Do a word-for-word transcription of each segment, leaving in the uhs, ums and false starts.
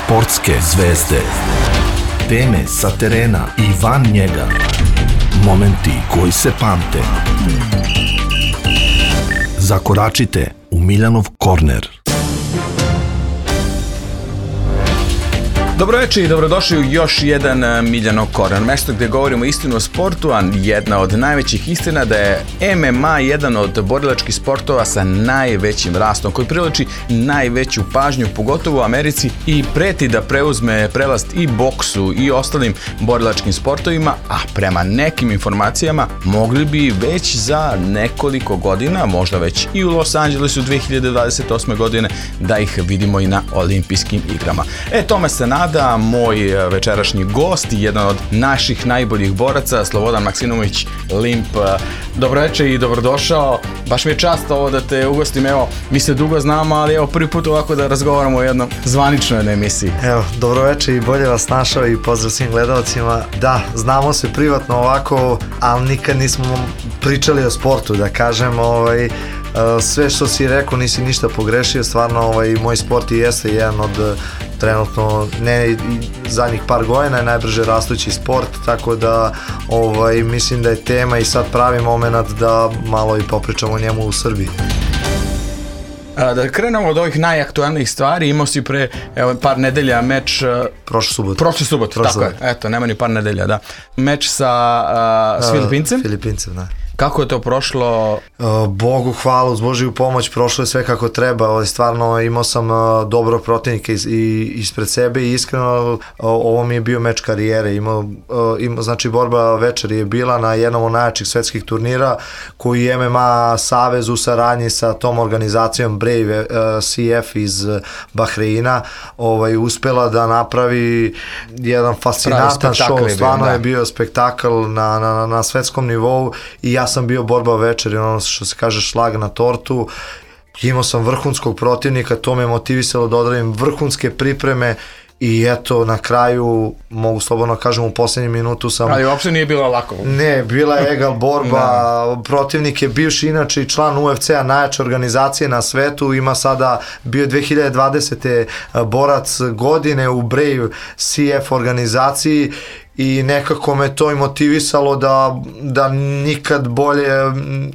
Sportske zvezde. Teme sa terena i van njega. Momenti koji se pamte. Zakoračite u Miljanov korner. Dobro večer i dobrodošli u još jedan Miljanov korner, mesto gdje govorimo istinu o sportu, a jedna od najvećih istina da je M M A jedan od borilačkih sportova sa najvećim rastom, koji privlači najveću pažnju, pogotovo u Americi, i preti da preuzme prelast i boksu i ostalim borilačkim sportovima, a prema nekim informacijama mogli bi već za nekoliko godina, možda već i u Los Angelesu dve hiljade dvadeset osme godine, da ih vidimo i na olimpijskim igrama. E, tome se nada. Da, moj večerašnji gost i jedan od naših najboljih boraca, Slobodan Maksimović Limp. Dobro večer i dobrodošao. Baš mi je čast ovo da te ugostim. Evo, mi se dugo znamo, ali evo prvi put ovako da razgovaramo o jednom zvaničnoj emisiji. Evo, dobro večer i bolje vas našao i pozdrav svim gledalcima. Da, znamo se privatno ovako, ali nikad nismo pričali o sportu, da kažem. Ovaj, sve što si rekao nisi ništa pogrešio, stvarno ovaj, moj sport i jeste jedan od trenutno, ne zadnjih par godina, je najbrže rastući sport, tako da ovaj, mislim da je tema i sad pravi moment da malo i popričamo o njemu u Srbiji. Da krenemo od ovih najaktualnijih stvari, imao si pre evo, par nedelja meč... Prošle subote. Prošle subote, tako subot. je. Eto, nema ni par nedelja, da. Meč sa uh, s Filipincem. Filipincem, da. Kako je to prošlo? Bogu hvala, uz Božiju pomoć, prošlo je sve kako treba. Stvarno imao sam dobro protivnika iz, ispred sebe i iskreno ovo mi je bio meč karijere. Imao, imao, znači borba večer je bila na jednom od najjačih svetskih turnira koji je M M A savez u saradnji sa tom organizacijom Brave C F iz Bahreina ovaj, uspela da napravi jedan fascinantan show. Stvarno je bio spektakl na, na, na svetskom nivou i ja sam bio borba večer i ono što se kaže šlag na tortu. Imao sam vrhunskog protivnika, to me motivisalo da odradim vrhunske pripreme i eto na kraju, mogu slobodno kažem, u posljednjem minutu sam... Ali uopšte nije bila lako. Ne, bila je egal borba, protivnik je bivši inače i član U F C-a, najjače organizacije na svetu, ima sada, bio dve hiljade dvadesete borac godine u Brave C F organizaciji i nekako me to i motivisalo da, da nikad bolje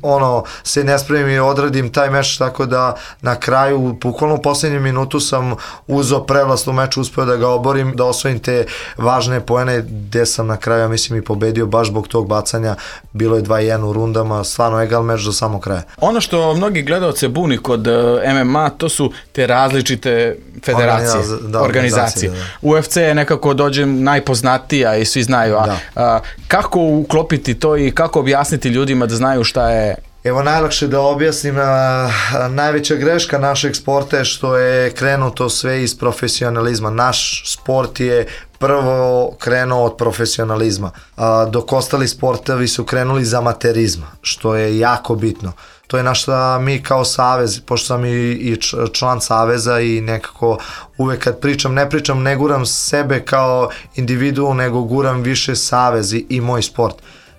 ono, se ne spremim i odradim taj meč, tako da na kraju, bukvalno u posljednjem minutu sam uzeo prevlast u meču, uspeo da ga oborim, da osvojim te važne poene, gde sam na kraju, ja mislim, i pobedio baš zbog tog bacanja. Bilo je dva jedan u rundama, stvarno egal meč do samog kraja. Ono što mnogi gledalce buni kod M M A, to su te različite federacije, Organiza, da, organizacije. Da, da. U F C je nekako dođe najpoznatija i svi znaju, a, a kako uklopiti to i kako objasniti ljudima da znaju šta je? Evo, najlakše da objasnim, a, a, najveća greška našeg sporta je što je krenuto sve iz profesionalizma. Naš sport je prvo krenuo od profesionalizma, a, dok ostali sportovi su krenuli iz amaterizma, što je jako bitno. To je na što mi kao savez, pošto sam i, i član saveza i nekako uvek kad pričam, ne pričam, ne guram sebe kao individu, nego guram više savez i, i moj sport.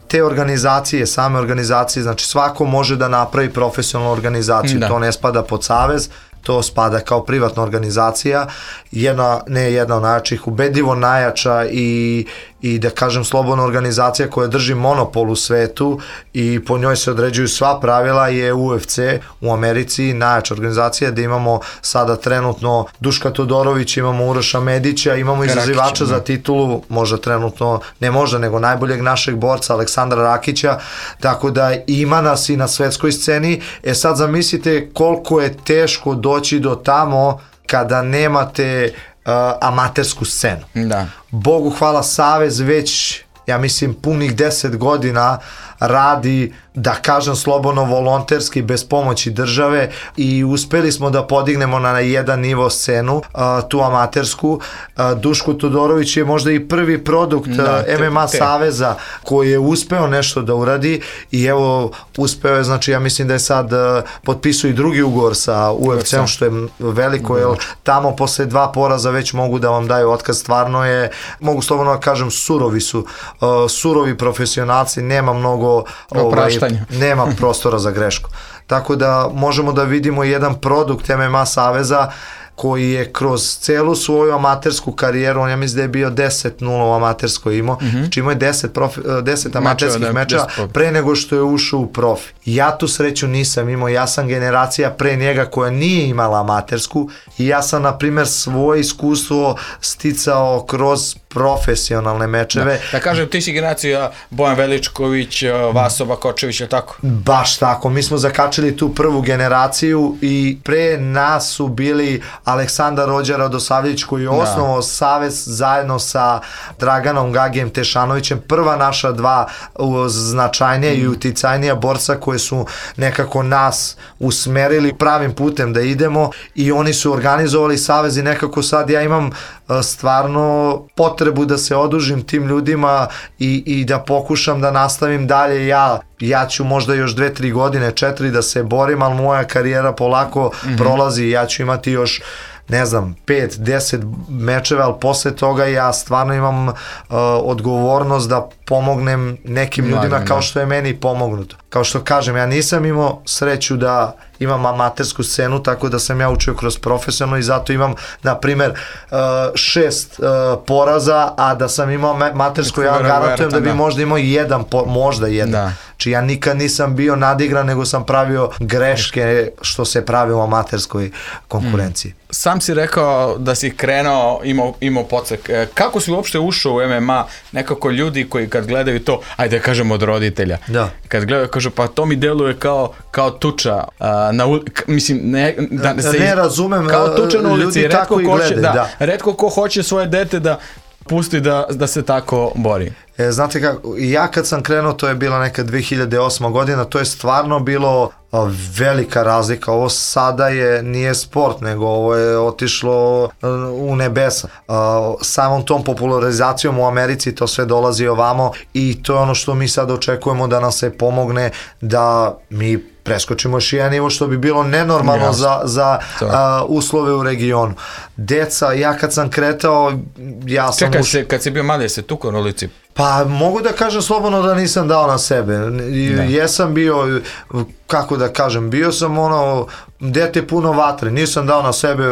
Te organizacije, same organizacije, znači svako može da napravi profesionalnu organizaciju, da. To ne spada pod savez, to spada kao privatna organizacija, jedna, ne jedna od najjačih, ubedljivo najjača i, i da kažem slobodna organizacija koja drži monopol u svetu i po njoj se određuju sva pravila je U F C u Americi, najjača organizacija gde imamo sada trenutno Duška Todorović, imamo Uroša Medića, imamo izazivača za titulu, možda trenutno, ne možda, nego najboljeg našeg borca Aleksandra Rakića, tako da ima nas i na svetskoj sceni. E sad zamislite koliko je teško doći do tamo kada nemate uh, amatersku scenu. Da. Bogu hvala, savez već, ja mislim, punih deset godina radi, da kažem slobodno, volonterski, bez pomoći države i uspeli smo da podignemo na jedan nivo scenu, uh, tu amatersku. Uh, Duško Todorović je možda i prvi produkt da, te, M M A te. saveza koji je uspeo nešto da uradi i evo, uspeo je, znači ja mislim da je sad uh, potpisuje i drugi ugovor sa U F C-om, što je veliko, jer tamo posle dva poraza već mogu da vam daju otkaz. Stvarno je, mogu slobodno da kažem, surovi su, uh, surovi profesionalci, nema mnogo ovaj, nema prostora za grešku. Tako da možemo da vidimo jedan produkt M M A saveza koji je kroz celu svoju amatersku karijeru, on ja mislim da je bio deset nula u amaterskoj imao, mm-hmm. znači imao je deset, profi, deset amaterskih mečeva pre nego što je ušao u profi. Ja tu sreću nisam imao, ja sam generacija pre njega koja nije imala amatersku i ja sam, na primjer, svoje iskustvo sticao kroz profesionalne mečeve. Da, da kažem, ti si generacija Bojan Veličković, Vaso Bakočević, je tako? Baš tako, mi smo zakačili tu prvu generaciju i pre nas su bili Aleksandar Rođer Radosavljević koji je osnovao savez zajedno sa Draganom Gagijem Tešanovićem, prva naša dva značajnija mm. i uticajnija borca koje su nekako nas usmerili pravim putem da idemo i oni su organizovali savez i nekako sad ja imam stvarno potrebu da se odužim tim ljudima i, i da pokušam da nastavim dalje. Ja, ja ću možda još dve, tri godine, četiri da se borim, ali moja karijera polako mm-hmm. prolazi i ja ću imati još ne znam, pet, deset mečeva, ali posle toga ja stvarno imam uh, odgovornost da pomognem nekim ljudima Mladim, kao što je meni pomognuto. Kao što kažem, ja nisam imao sreću da imam amatersku scenu, tako da sam ja učio kroz profesionalno i zato imam, na primer, uh, šest uh, poraza, a da sam imao amatersku, ja garantujem da bi možda imao jedan, po, možda jedan. Da. Znači ja nikad nisam bio nadigran, nego sam pravio greške što se pravi u amaterskoj konkurenciji. Mm. Sam si rekao da si krenuo, imao, imao podsek. Kako si uopšte ušao u M M A? Nekako ljudi koji kad gledaju to, ajde kažem od roditelja, da. Kad gledaju kažu pa to mi deluje kao, kao tuča a, na ulici, mislim ne, da se ne razumem, kao tuča na ulici, ljudi tako i gledaju, da, da. Retko ko hoće svoje dete da pusti da, da se tako bori. E, znate kako, ja kad sam krenuo, to je bila neka dve hiljade osma godina, to je stvarno bilo a, velika razlika. Ovo sada je, nije sport, nego ovo je otišlo a, u nebesa. A, samom tom popularizacijom u Americi to sve dolazi ovamo i to je ono što mi sad očekujemo da nam se pomogne da mi preskočimo još jedan nivo što bi bilo nenormalno yes. za, za a, uslove u regionu. Deca, ja kad sam kretao, ja sam... Čekaj, uš... se, kad si bio mali, se tukao na ulici? Pa mogu da kažem slobodno da nisam dao na sebe. Ne. Jesam bio, kako da kažem, bio sam ono, dete puno vatre, nisam dao na sebe,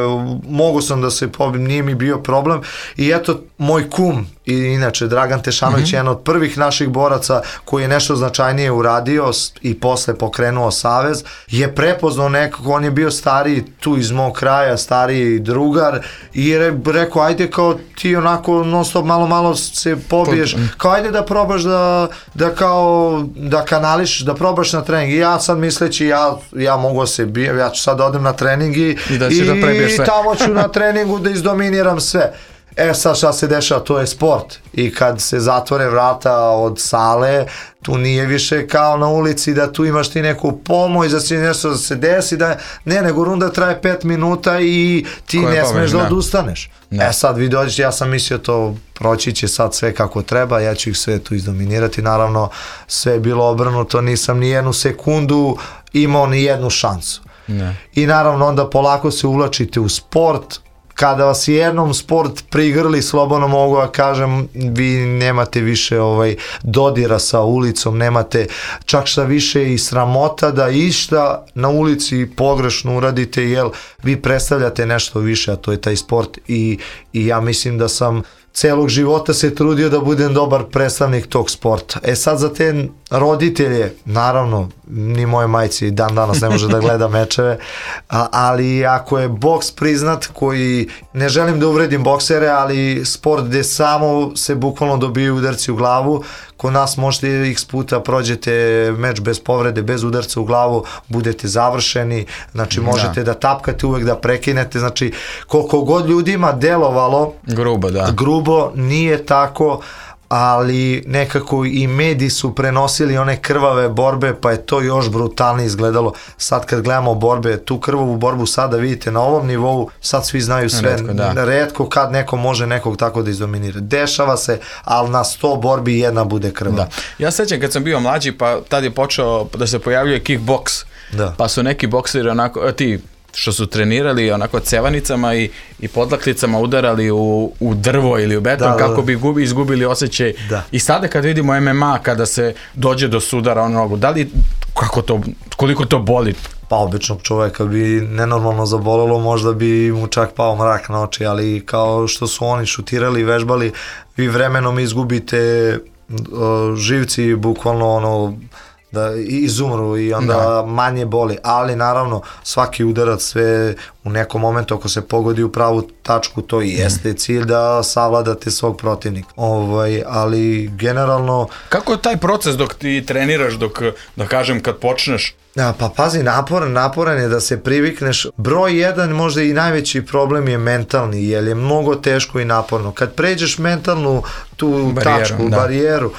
mogu sam da se pobim, nije mi bio problem. I eto, moj kum, i inače Dragan Tešanović, mm-hmm. jedan od prvih naših boraca koji je nešto značajnije uradio i posle pokrenuo savez, je prepoznao nekako, on je bio stariji tu iz mog kraja, stariji drugar i je rekao, ajde kao ti onako non stop malo malo se pobiješ, kao ajde da probaš da, da kao da kanališ, da probaš na trening. I ja sad misleći, ja, ja mogu se bijem, ja ću sad da odem na trening i, i, da i, da prebiješ sve. Tamo ću na treningu da izdominiram sve. E sad šta se dešava, to je sport i kad se zatvore vrata od sale, tu nije više kao na ulici da tu imaš ti neku pomoć, da si nešto da se desi, da ne, nego runda traje pet minuta i ti Koje ne smeš da odustaneš. Ne. E sad vi dođete, ja sam mislio to proći će sad sve kako treba, ja ću ih sve tu izdominirati, naravno sve je bilo obrnuto, nisam ni jednu sekundu imao ni jednu šansu. Ne. I naravno onda polako se uvlačite u sport. Kada vas jednom sport prigrli, slobodno mogu da kažem, vi nemate više ovaj dodira sa ulicom, nemate čak šta više i sramota da išta na ulici pogrešno uradite, jer vi predstavljate nešto više, a to je taj sport i, i ja mislim da sam celog života se trudio da budem dobar predstavnik tog sporta. E sad za te roditelje, naravno, ni moje majci dan danas ne može da gleda mečeve, a, ali ako je boks priznat, koji, ne želim da uvredim boksere, ali sport gde samo se bukvalno dobiju udarci u glavu, kod nas možete x puta prođete meč bez povrede, bez udarca u glavu, budete završeni, znači možete da, da tapkate uvek, da prekinete, znači koliko god ljudima delovalo grubo, da. grubo, nije tako, ali nekako i mediji su prenosili one krvave borbe, pa je to još brutalnije izgledalo. Sad kad gledamo borbe, tu krvavu borbu sada vidite na ovom nivou, sad svi znaju sve, retko, da. retko kad neko može nekog tako da izdominira. Dešava se, ali na sto borbi jedna bude krvava. Da. Ja sećam kad sam bio mlađi, pa tad je počeo da se pojavljuje kickboks, da. Pa su neki bokseri onako, ti što su trenirali onako cevanicama i, i podlakticama udarali u, u drvo ili u beton, da, kako da, bi gubi, izgubili osjećaj. Da. I sada kad vidimo M M A, kada se dođe do sudara o nogu, da li, kako to, koliko to boli? pa običnog čoveka bi nenormalno zabolelo, možda bi mu čak pao mrak na oči, ali kao što su oni šutirali i vežbali, vi vremenom izgubite uh, živci, bukvalno ono, da izumru i onda da. manje boli, ali naravno svaki udarac sve u nekom momentu ako se pogodi u pravu tačku, to i jeste cilj da savladate svog protivnika. Ovaj, ali generalno... Kako je taj proces dok ti treniraš, dok, da kažem, kad počneš? Ja, pa pazi, naporan, naporan je da se privikneš. Broj jedan, možda i najveći problem je mentalni, jer je mnogo teško i naporno. Kad pređeš mentalnu tu barijeru, tačku, da. barijeru,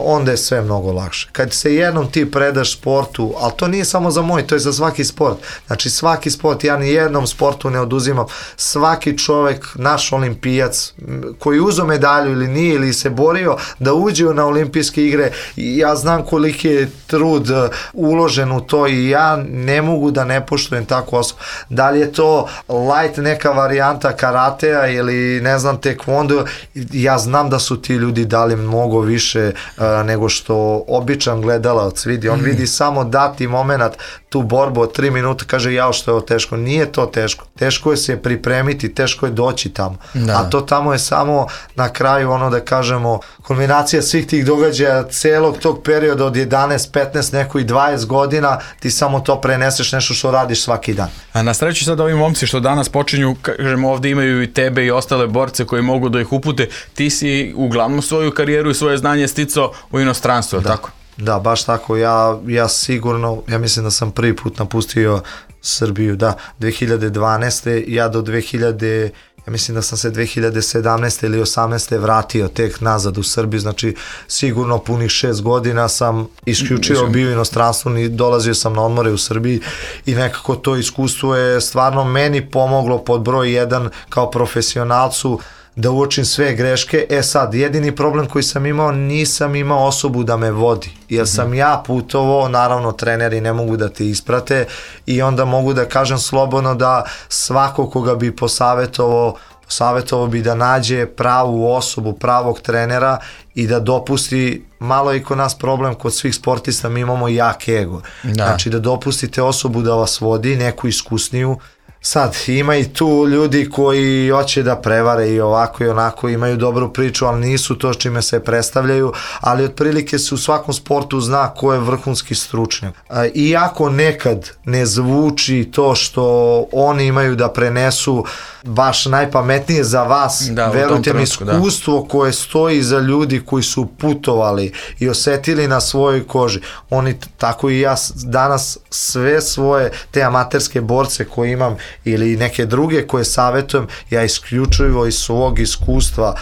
onda je sve mnogo lakše. Kad se jednom ti predaš sportu, ali to nije samo za moj, to je za svaki sport. Znači svaki sport, ja ni jednom sportu ne oduzimam. Svaki čovek, naš olimpijac, koji uzo medalju ili nije, ili se borio da uđe na olimpijske igre, ja znam koliki je trud uložen u to i ja ne mogu da ne poštujem takvu osobu. Da li je to light neka varijanta karatea ili ne znam tekvondo, ja znam da su ti ljudi dali mnogo više Uh, nego što običan gledalac vidi. On mm. vidi samo dati moment, tu borbu od tri minuta, kaže jao što je ovo teško. Nije to teško. Teško je se pripremiti, teško je doći tamo. Da. A to tamo je samo na kraju ono da kažemo kombinacija svih tih događaja celog tog perioda od jedanaest, petnaest, neko i dvadeset godina, ti samo to preneseš nešto što radiš svaki dan. A na sreću sad ovi momci što danas počinju, kažemo ovde imaju i tebe i ostale borce koji mogu da ih upute, ti si uglavnom svoju karijeru i svoje znanje sticao u inostranstvu, da, tako? Da, baš tako. Ja, ja sigurno, ja mislim da sam prvi put napustio Srbiju, da, dve hiljade dvanaeste. Ja do dve hiljade, ja mislim da sam se dve hiljade sedamnaeste ili osamnaeste vratio tek nazad u Srbiju, znači sigurno punih šest godina sam isključivo bio u inostranstvu i dolazio sam na odmore u Srbiji i nekako to iskustvo je stvarno meni pomoglo pod broj jedan kao profesionalcu da uočim sve greške. E sad, jedini problem koji sam imao, nisam imao osobu da me vodi, jer sam ja putovao, naravno treneri ne mogu da te isprate i onda mogu da kažem slobodno da svako koga bi posavetovao, posavetovao bi da nađe pravu osobu, pravog trenera i da dopusti, malo je i kod nas problem, kod svih sportista mi imamo jak ego, da. Znači da dopustite osobu da vas vodi, neku iskusniju. Sad, ima i tu ljudi koji hoće da prevare i ovako i onako, imaju dobru priču, ali nisu to s čime se predstavljaju, ali otprilike se u svakom sportu zna ko je vrhunski stručnjak. Iako nekad ne zvuči to što oni imaju da prenesu baš najpametnije za vas, da, verujte mi, iskustvo da. koje stoji za ljudi koji su putovali i osetili na svojoj koži. Oni, tako i ja danas sve svoje te amaterske borce koje imam ili neke druge koje savjetujem, ja isključivo iz svog iskustva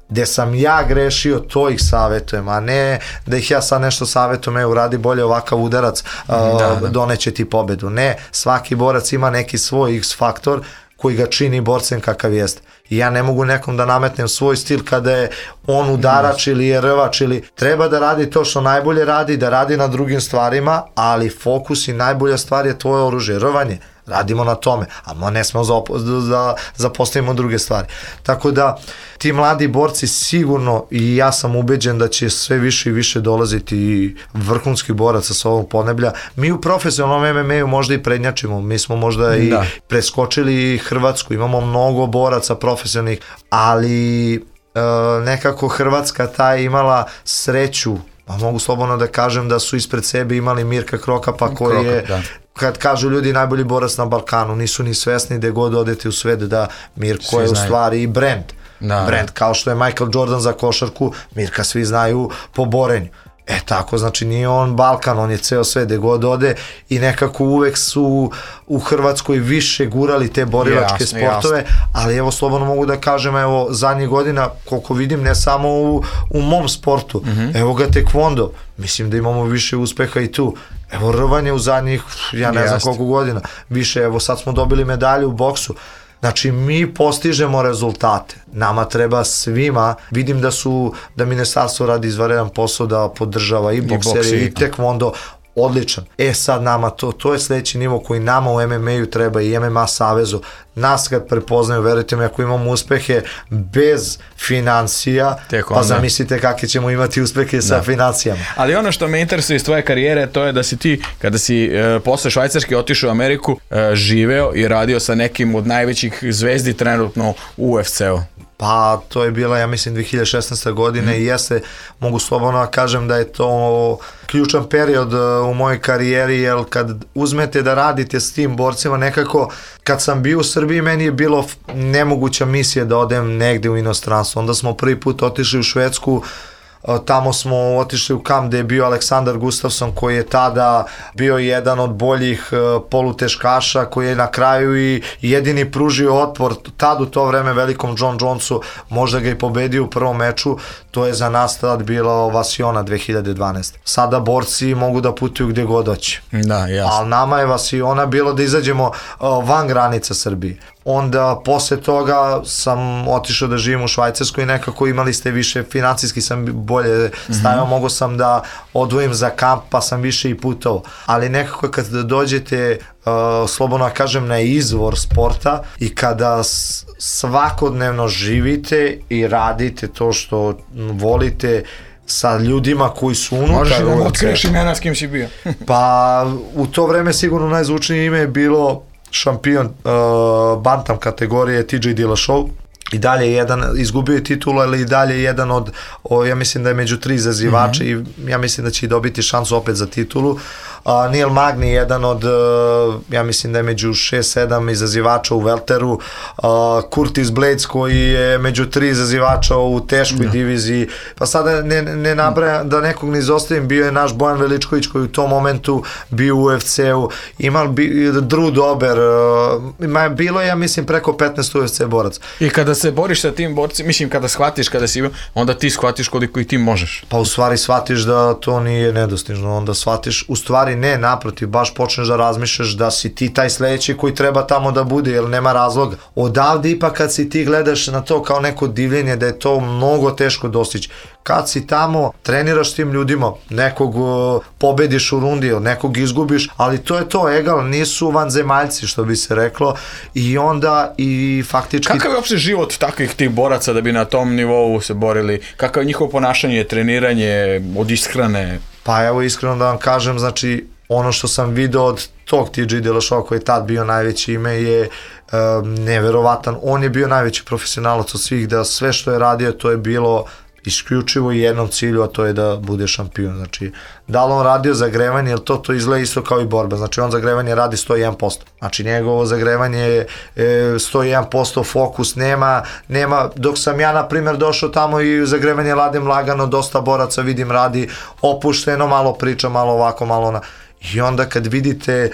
gde sam ja grešio, to ih savjetujem, a ne da ih ja sad nešto savjetujem, evo radi bolje ovakav udarac, da, da. doneće ti pobedu. Ne, svaki borac ima neki svoj X faktor koji ga čini borcem kakav jeste. I ja ne mogu nekom da nametnem svoj stil kada je on udarač ili je rvač, ili treba da radi to što najbolje radi, da radi na drugim stvarima, ali fokus i najbolja stvar je tvoje oružje, rvanje. Radimo na tome, a ne smo da zapostavimo druge stvari. Tako da ti mladi borci sigurno, i ja sam ubeđen da će sve više i više dolaziti i vrhunski boraca sa ovog podneblja. Mi u profesionalnom M M A-u možda i prednjačimo, mi smo možda i da. preskočili Hrvatsku, imamo mnogo boraca profesionalnih, ali e, nekako Hrvatska ta je imala sreću, pa mogu slobodno da kažem da su ispred sebe imali Mirka Krokapa koji Krokap, je da. Kad kažu ljudi najbolji borac na Balkanu, nisu ni svesni da god odete u svet da Mirko svi je znaju. U stvari i brand. Da. Brand, kao što je Michael Jordan za košarku, Mirka svi znaju po borenju. E tako, znači nije on Balkan, on je ceo svet gde god ode i nekako uvek su u Hrvatskoj više gurali te borilačke jasne, sportove, jasne. Ali evo slobodno mogu da kažem, evo zadnjih godina koliko vidim, ne samo u, u mom sportu, mm-hmm. evo ga tekvondo, mislim da imamo više uspeha i tu. Evo rvanje u zadnjih, ja ne jasne. znam koliko godina, više, evo sad smo dobili medalju u boksu. Znači mi postižemo rezultate, nama treba svima, vidim da su, da ministarstvo radi izvanredan posao da podržava i bokseri i, i tekvondo, odličan. E sad nama to, to je sledeći nivo koji nama u M M A-u treba i M M A savezu. Nas kad prepoznaju, verujte mi, ako imamo uspehe bez financija, pa zamislite kakve ćemo imati uspehe sa financijama. Ali ono što me interesuje iz tvoje karijere, to je da si ti, kada si e, posle Švajcarske otišao u Ameriku, e, živeo i radio sa nekim od najvećih zvezdi trenutno u U F C-u. Pa to je bila, ja mislim, dve hiljade šesnaeste. godine mm. i jeste, mogu slobodno da kažem da je to ključan period u mojoj karijeri, jer kad uzmete da radite s tim borcima, nekako, kad sam bio u Srbiji, meni je bilo nemoguća misija da odem negde u inostranstvo. Onda smo prvi put otišli u Švedsku, tamo smo otišli u kamp gde je bio Aleksandar Gustafsson, koji je tada bio jedan od boljih poluteškaša, koji je na kraju i jedini pružio otpor tad u to vreme velikom John Jonesu, možda ga i pobedio u prvom meču. To je za nas tad bilo Vasiona dve hiljade dvanaeste. Sada borci mogu da putuju gde god hoće. Da, jasno. Ali nama je Vasiona bilo da izađemo van granica Srbije. Onda posle toga sam otišao da živim u Švajcarskoj i nekako imali ste više, financijski sam bolje stavio, mm-hmm. mogo sam da odvojim za kamp, pa sam više i putovao. Ali nekako kad dođete, uh, slobodno kažem, na izvor sporta i kada svakodnevno živite i radite to što volite, sa ljudima koji su unutar. Možeš da mu otkriješ imena s kim si bio. Pa u to vreme sigurno najzvučnije ime je bilo šampion uh, bantam kategorije T J Dillashaw. I dalje jedan, izgubio je titulu, ali i dalje jedan od, o, ja mislim da je među tri izazivača mm-hmm. i ja mislim da će i dobiti šansu opet za titulu. Uh, Neil Magny, jedan od, uh, ja mislim da je među šest sedam izazivača u welteru. Uh, Curtis Blades, koji je među tri izazivača u teškoj no. diviziji. Pa sada ne, ne nabrajam, da nekog ne izostavim, bio je naš Bojan Veličković, koji u tom momentu bio u U F C-u. Imao bi Drew Dober, uh, bilo je, ja mislim, preko petnaest U F C boraca. I kada se boriš sa tim borcima, mislim, kada shvatiš, kada si, onda ti shvatiš koliko i ti možeš. Pa u stvari shvatiš da to nije nedostižno, onda shvatiš, u stvari ne, naprotiv, baš počneš da razmišljaš da si ti taj sledeći koji treba tamo da bude, jer nema razloga. Odavde ipak kad si ti gledaš na to kao neko divljenje, da je to mnogo teško dostići. Kad si tamo, treniraš s tim ljudima, nekog uh, pobediš u rundi, nekog izgubiš, ali to je to, egal, nisu vanzemaljci, što bi se reklo, i onda i faktički... Kakav je uopšte život takvih tih boraca da bi na tom nivou se borili? Kakav je njihovo ponašanje, treniranje, od ishrane? Pa evo, iskreno da vam kažem, znači, ono što sam video od tog T J Dillashaw, koji je tad bio najveće ime, je um, neverovatan. On je bio najveći profesionalac od svih, da sve što je radio, to je bilo isključivo i jednom cilju, a to je da bude šampion. Znači, da li on radio zagrevanje, jer to, to izgleda isto kao i borba. Znači, on zagrevanje radi sto jedan posto. Znači, njegovo zagrevanje je e, sto jedan posto fokus, nema, nema, dok sam ja, na primjer, došao tamo i zagrevanje radim lagano, dosta boraca vidim radi opušteno, malo priča, malo ovako, malo ona. I onda kad vidite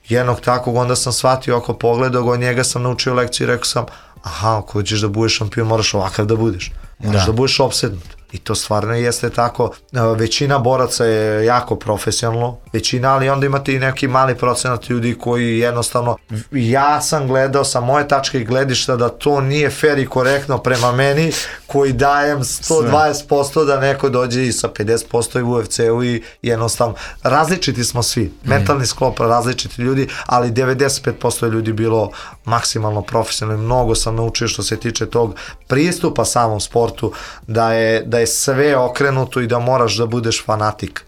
jednog takvog, onda sam shvatio, ako pogledao od njega sam naučio lekciju i rekao sam, aha, ako hoćeš da budeš šampion, moraš ovakav da budeš. Moraš da, da budeš opsednut. I to stvarno jeste tako. Većina boraca je jako profesionalno, većina, ali onda imate i neki mali procenat ljudi koji jednostavno, ja sam gledao sa moje tačke gledišta da to nije fair i korektno prema meni, koji dajem sto dvadeset posto da neko dođe i sa pedeset posto i u U F C-u i jednostavno, različiti smo svi, mentalni sklop, različiti ljudi, ali devedeset pet posto je ljudi bilo maksimalno profesionalno. Mnogo sam naučio što se tiče tog pristupa samom sportu, da je, da je sve okrenuto i da moraš da budeš fanatik,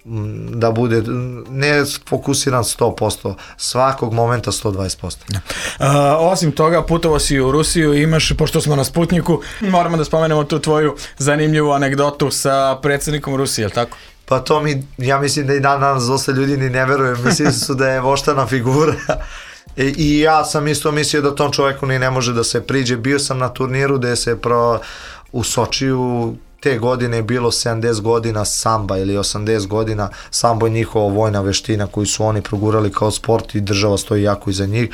da bude ne fokusiran sto posto, svakog momenta sto dvadeset posto. Uh, osim toga, putovao si u Rusiju i imaš, pošto smo na Sputniku, moramo da spomenemo tu tvoju zanimljivu anegdotu sa predsjednikom Rusije, je li tako? Pa to mi, ja mislim da i dan danas dosta ljudi ni ne veruju, mislim su da je voštana figura. I, I ja sam isto mislio da tom čoveku ni ne može da se priđe. Bio sam na turniru gde se pro, u Sočiju, te godine je bilo sedamdeset godina samba ili osamdeset godina, sambo je njihova vojna veština koju su oni progurali kao sport i država stoji jako iza njih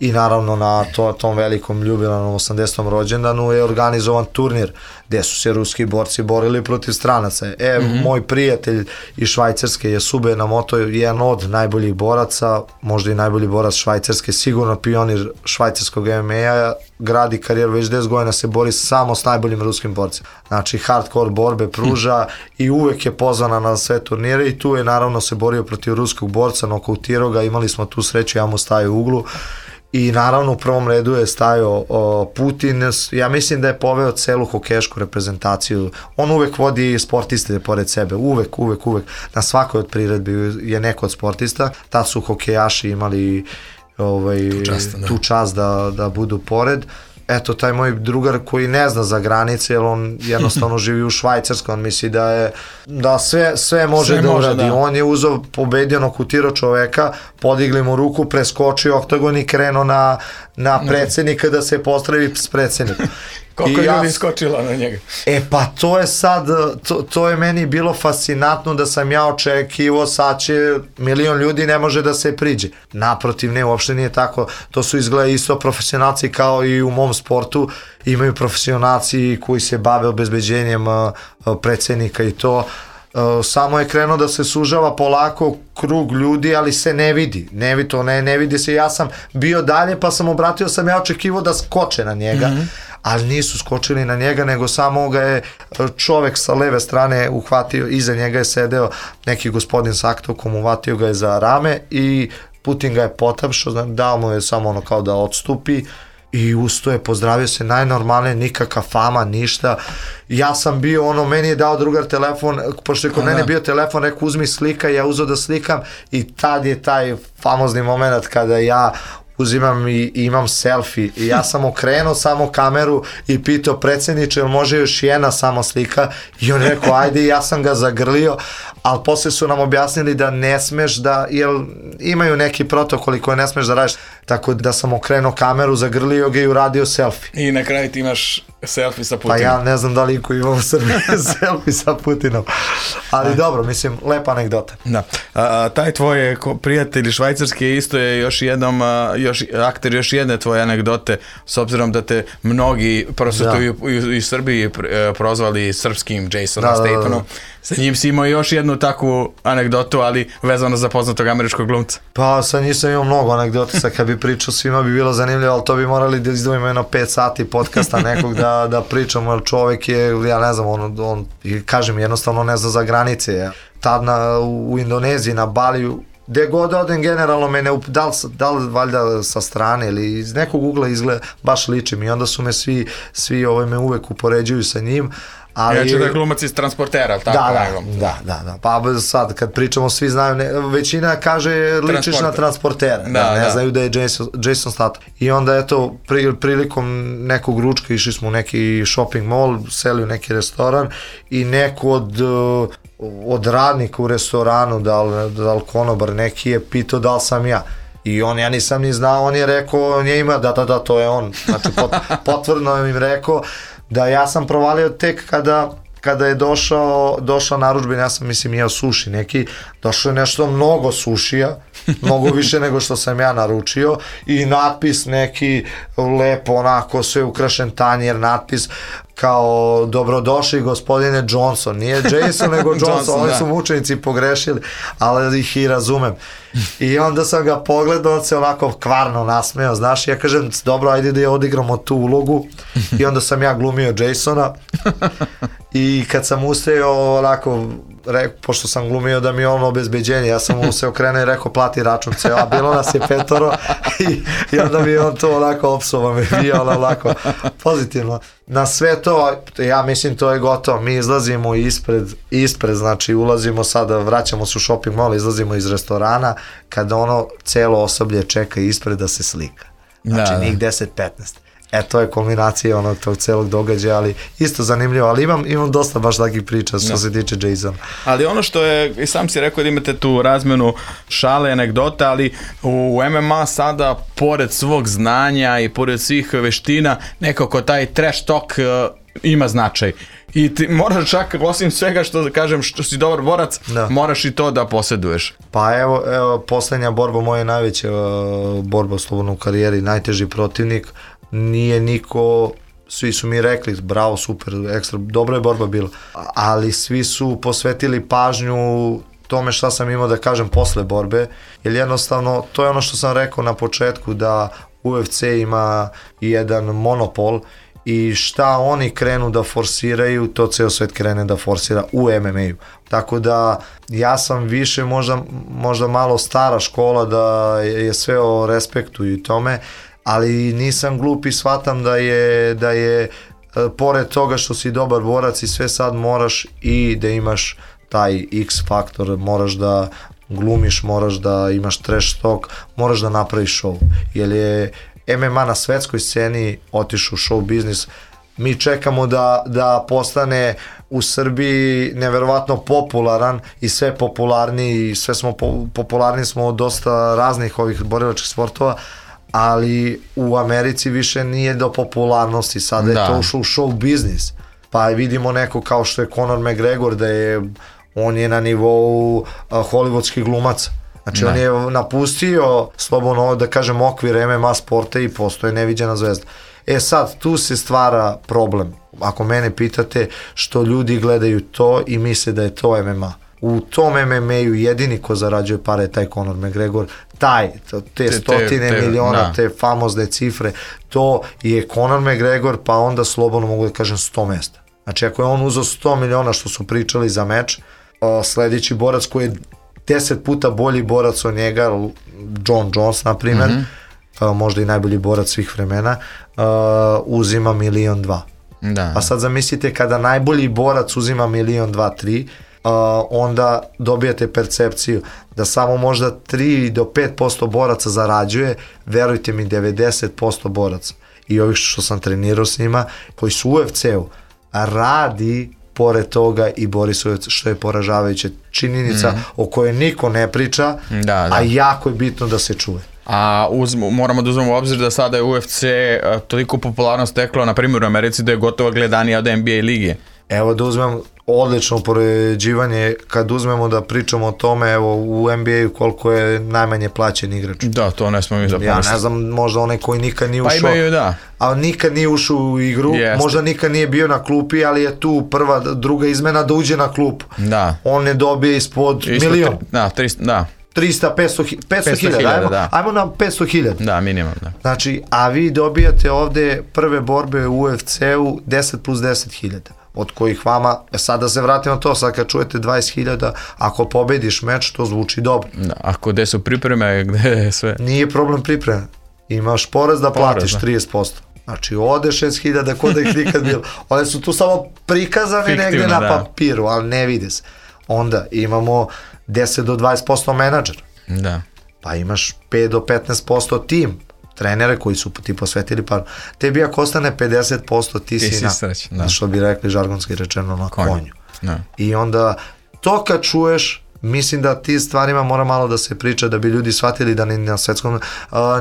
i naravno na to, tom velikom jubilarnom osamdesetom rođendanu je organizovan turnir gde su se ruski borci borili protiv stranaca. E, mm-hmm. moj prijatelj iz Švajcarske je Sube Yamamoto, jedan od najboljih boraca, možda i najbolji borac Švajcarske, sigurno pionir švajcarskog M M A-a gradi karijeru, već deset godina se bori samo s najboljim ruskim borcima. Znači hardcore borbe pruža i uvek je pozvana na sve turnire i tu je naravno se borio protiv ruskog borca, nokautirao ga, imali smo tu sreću, ja mu stavio u uglu. I naravno u prvom redu je stajao o, Putin, ja mislim da je poveo celu hokešku reprezentaciju, on uvek vodi sportiste pored sebe, uvek, uvek, uvek, na svakoj od priredbi je neko od sportista, tad su hokejaši imali ovaj, tu čast, da, tu čast da, da budu pored. Eto, taj moj drugar koji ne zna za granice, jer on jednostavno živi u Švajcarskoj, on misli da je, da sve, sve može sve da može, uradi. Da. On je uzeo, pobedio, nokutirao čoveka, podigli mu ruku, preskočio oktagon i krenuo na, na predsednika da se postravi s predsednikom. Koliko je ljudi skočilo na njega? E pa to je sad, to, to je meni bilo fascinantno da sam ja očekivao, sad će milion ljudi ne može da se priđe. Naprotiv, ne, uopšte nije tako. To su izgleda isto profesionalci kao i u mom sportu. Imaju profesionalci koji se bave obezbeđenjem predsednika i to. Samo je krenuo da se sužava polako krug ljudi, ali se ne vidi. Ne vidi to, ne, ne vidi se. Ja sam bio dalje pa sam obratio, sam ja očekivao da skoče na njega. Mm-hmm. Ali nisu skočili na njega, nego samo ga je čovek sa leve strane uhvatio, iza njega je sedeo neki gospodin s aktokom, uhvatio ga je za rame i Putin ga je potapšao, dao mu je samo ono kao da odstupi i usto je, pozdravio se najnormalnije, nikakva fama, ništa. Ja sam bio, ono, meni je dao drugar telefon, pošto je kod mene bio telefon, rekao uzmi slika, ja uzeo da slikam i tad je taj famozni moment kada ja uzimam i, i imam selfie i ja sam okrenuo samo kameru i pitao predsjedniče, jel može još jedna samo slika i on rekao ajde i ja sam ga zagrlio, ali posle su nam objasnili da ne smeš da, jer imaju neki protokoli koje ne smeš da radiš, tako da sam okrenuo kameru, zagrlio ga i uradio selfie. I na kraju ti imaš selfie sa Putinom. Pa ja ne znam da li ko ima u Srbiji selfie sa Putinom, ali dobro, mislim, lepa anegdota. Da, a, taj tvoj prijatelj švajcarski isto je još jednom, a, još, akter još jedne tvoje anegdote, s obzirom da te mnogi, prosto da. i, i, i Srbiji prozvali srpskim Jasonom da, Stathanom, da, da, da. Sa njim si imao još jednu takvu anegdotu, ali vezano za poznatog američkog glumca. Pa sa njim sam imao mnogo anegdota, sad kad bi pričao svima bi bilo zanimljivo, ali to bi morali da izdvojimo jedno pet sati podcasta nekog da, da pričamo, jer čovjek je, ja ne znam, on, on kažem, jednostavno ne zna za granice. Tad na, u Indoneziji, na Baliju, gde god odem generalno mene, da li, da li valjda sa strane ili iz nekog ugla izgleda, baš ličim i onda su me svi, svi ovaj me uvek upoređuju sa njim. Ali, ja ću da je glumac iz Transportera, tako? Da, da, da, da, da, pa sad kad pričamo svi znaju, ne, većina kaže ličiš na Transportera, da, da, ne da. Znaju da je Jason, Jason Statham. I onda eto, pri, prilikom nekog ručka išli smo u neki shopping mall, seli u neki restoran i neko od, od radnika u restoranu, da li, da li konobar neki je pitao da li sam ja. I on, ja nisam ni znao, on je rekao, on je ima, da, da, da, to je on. Znači, pot, potvrdno im rekao da ja sam provalio tek kada, kada je došao, došao narudžben, ja sam, mislim, jeo suši neki, došlo je nešto mnogo sušija, mnogo više nego što sam ja naručio i natpis neki lepo, onako, sve ukrašen tanjer, natpis kao dobrodošli gospodine Johnson, nije Jason nego Johnson, Johnson oni da. Su mučenici pogrešili, ali ih i razumem. I onda sam ga pogledao, on se onako kvarno nasmeo, znaš, ja kažem, dobro, ajde da je odigramo tu ulogu i onda sam ja glumio Jasona i kad sam ustajao onako, re, pošto sam glumio da mi je ono obezbeđenje, ja sam mu se okrenuo i rekao plati račun, a bilo nas je petoro i, i onda mi je on to onako opsovao me bio onako pozitivno. Na sve to, ja mislim to je gotovo, mi izlazimo ispred, ispred, znači ulazimo sada, vraćamo se u shopping mall, izlazimo iz restorana, kada ono celo osoblje čeka ispred da se slika. Znači da, njih deset petnaest. E, to je kombinacija onog tog celog događaja, ali isto zanimljivo, ali imam, imam dosta baš takih priča što no. se tiče Jasona. Ali ono što je, i sam si rekao da imate tu razmenu šale, anegdota, ali u M M A sada, pored svog znanja i pored svih veština, nekako taj trash talk uh, ima značaj. I ti moraš čak, osim svega što kažem, što si dobar borac, da. Moraš i to da posjeduješ. Pa evo, evo poslednja borba, moja najveća uh, borba slobodno u karijeri, najteži protivnik, nije niko, svi su mi rekli bravo, super, ekstra, dobra je borba bila, ali svi su posvetili pažnju tome šta sam imao da kažem posle borbe, jer jednostavno to je ono što sam rekao na početku, da U F C ima jedan monopol i šta oni krenu da forsiraju, to ceo svet krene da forsira u M M A-u. Tako da ja sam više možda, možda malo stara škola da je sve o respektu i tome, ali nisam glup i shvatam da je, da je pored toga što si dobar borac i sve sad moraš i da imaš taj X faktor, moraš da glumiš, moraš da imaš trash talk, moraš da napraviš show. Jer je M M A na svetskoj sceni otišao u show biznis. Mi čekamo da, da postane u Srbiji neverovatno popularan i sve popularniji, sve smo po, popularni smo od dosta raznih ovih borilačkih sportova, ali u Americi više nije do popularnosti, sada da. je to ušlo u show biznis. Pa vidimo neko kao što je Conor McGregor, da je, on je na nivou uh, hollywoodskih glumaca. Znači da. on je napustio slobodno, da kažem, okvir M M A sporta i postoje neviđena zvezda. E sad, tu se stvara problem, ako mene pitate, što ljudi gledaju to i misle da je to M M A. U tom M M A-u jedini ko zarađuje pare je taj Conor McGregor, taj, te stotine te, te, miliona, da. te famozne cifre, to je Conor McGregor, pa onda slobodno mogu da kažem sto mesta. Znači ako je on uzeo sto miliona što su pričali za meč, sledeći borac koji je deset puta bolji borac od njega, John Jones na primjer, mm-hmm. možda i najbolji borac svih vremena, uzima milion dva. Da. Pa sad zamislite kada najbolji borac uzima milion dva, tri, Uh, onda dobijate percepciju da samo možda tri do pet posto boraca zarađuje, verujte mi devedeset posto boraca i ovih što sam trenirao s njima koji su u U F C-u radi pored toga i bori se, što je poražavajuća činjenica mm-hmm. o kojoj niko ne priča, da, da. a jako je bitno da se čuje. A uzmo, moramo da uzmemo u obzir da sada je U F C uh, toliko popularnost steklo, na primjer u Americi, da je gotovo gledanija od N B A lige. Evo da uzmem odlično upoređivanje, kad uzmemo da pričamo o tome, evo u N B A-u koliko je najmanje plaćen igrač. Da, to ne smo mi zapomisliti. Ja ne znam, možda onaj koji nikad nije ušao, pa imaju, da. ali nikad nije ušao u igru, Jeste. možda nikad nije bio na klupi, ali je tu prva, druga izmena da uđe na klupu. Da. On ne dobije ispod, ispod milion. Da, trista, da. trista, petsto hiljada, ajmo, da. ajmo na petsto hiljada. Da, minimum, da. Znači, a vi dobijate ovde prve borbe u U F C-u deset plus deset hiljada. Od kojih vama, sad da se vratimo na to, sad kad čujete dvadeset hiljada, ako pobediš meč, to zvuči dobro. Da, ako gde su pripreme, gde je sve? Nije problem pripreme. Imaš porez da porez, platiš da. trideset posto. Znači, ode šest hiljada kod da ih nikad bilo. One su tu samo prikazane Fiktivno, negde na da. papiru, ali ne vide se. Onda imamo deset do dvadeset posto menadžer. Da. Pa imaš pet do petnaest posto tim. Trenere koji su ti posvetili par. Tebi ako ostane pedeset posto ti, ti si na, sreć, da. što bi rekli žargonski rečeno, na konju. konju. Da. I onda to kad čuješ, mislim da ti stvarima mora malo da se priča da bi ljudi shvatili da ni na svetskom uh,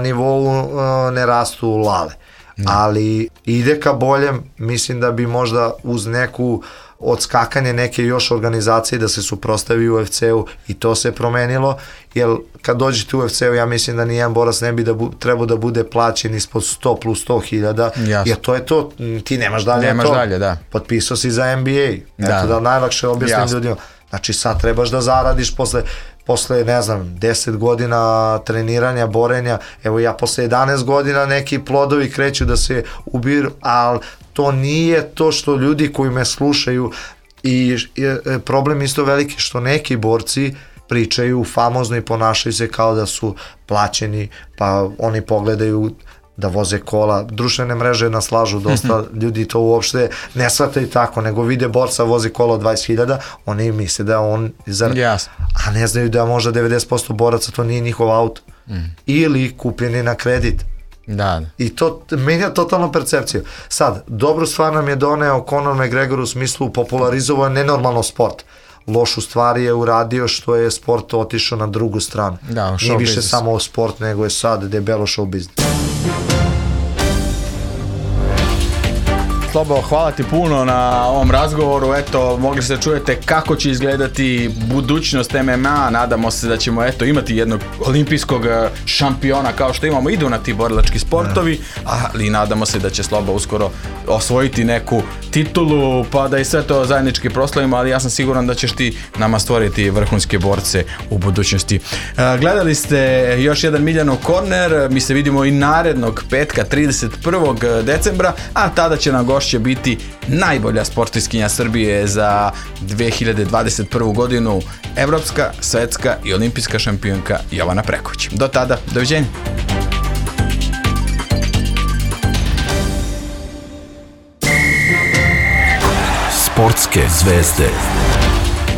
nivou uh, ne rastu lale. Da. Ali ide ka boljem, mislim da bi možda uz neku odskakanje neke još organizacije da se suprostavi U F C-u i to se promenilo, jer kad dođete u U F C-u ja mislim da nijedan borac ne bi da bu, trebao da bude plaćen ispod sto plus sto hiljada, jer to je to, ti nemaš dalje nemaš to, dalje, da. potpisao si za N B A, da. eto da najlakše objasnim Jasne. ljudima, znači sad trebaš da zaradiš posle posle, ne znam, deset godina treniranja, borenja, evo ja posle jedanaest godina neki plodovi kreću da se ubiru, ali to nije to što ljudi koji me slušaju i je problem isto veliki što neki borci pričaju famozno i ponašaju se kao da su plaćeni, pa oni pogledaju da voze kola, društvene mreže naslažu dosta, ljudi to uopšte ne shvataju tako, nego vide borca vozi kola od dvadeset hiljada, oni misle da on zar... yes. a ne znaju da možda devedeset posto boraca to nije njihov auto mm. ili kupljeni na kredit. Da. I to menja totalno percepciju. Sad, dobru stvar nam je doneo Conor McGregor u smislu popularizovao nenormalno sport. Lošu stvar je uradio što je sport otišao na drugu stranu. Da, nije više business. Samo sport, nego je sad debelo show business. Slobo, hvala ti puno na ovom razgovoru. Eto, mogli ste čujete kako će izgledati budućnost M M A. Nadamo se da ćemo eto imati jednog olimpijskog šampiona kao što imamo. Idu na ti borilački sportovi, ali nadamo se da će Slobo uskoro osvojiti neku titulu, pa da i sve to zajednički proslavimo, ali ja sam siguran da ćeš ti nama stvoriti vrhunske borce u budućnosti. Gledali ste još jedan Miljanov korner, mi se vidimo i narednog petka trideset prvog decembra, a tada će nam gošće biti najbolja sportistkinja Srbije za dve hiljade dvadeset prvu godinu, evropska, svetska i olimpijska šampionka Jovana Preković. Do tada, doviđenja. Sportske zvezde,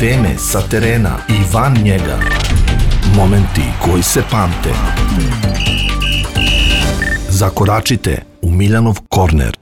teme sa terena i van njega, momenti koji se pamte. Zakoračite u Miljanov korner.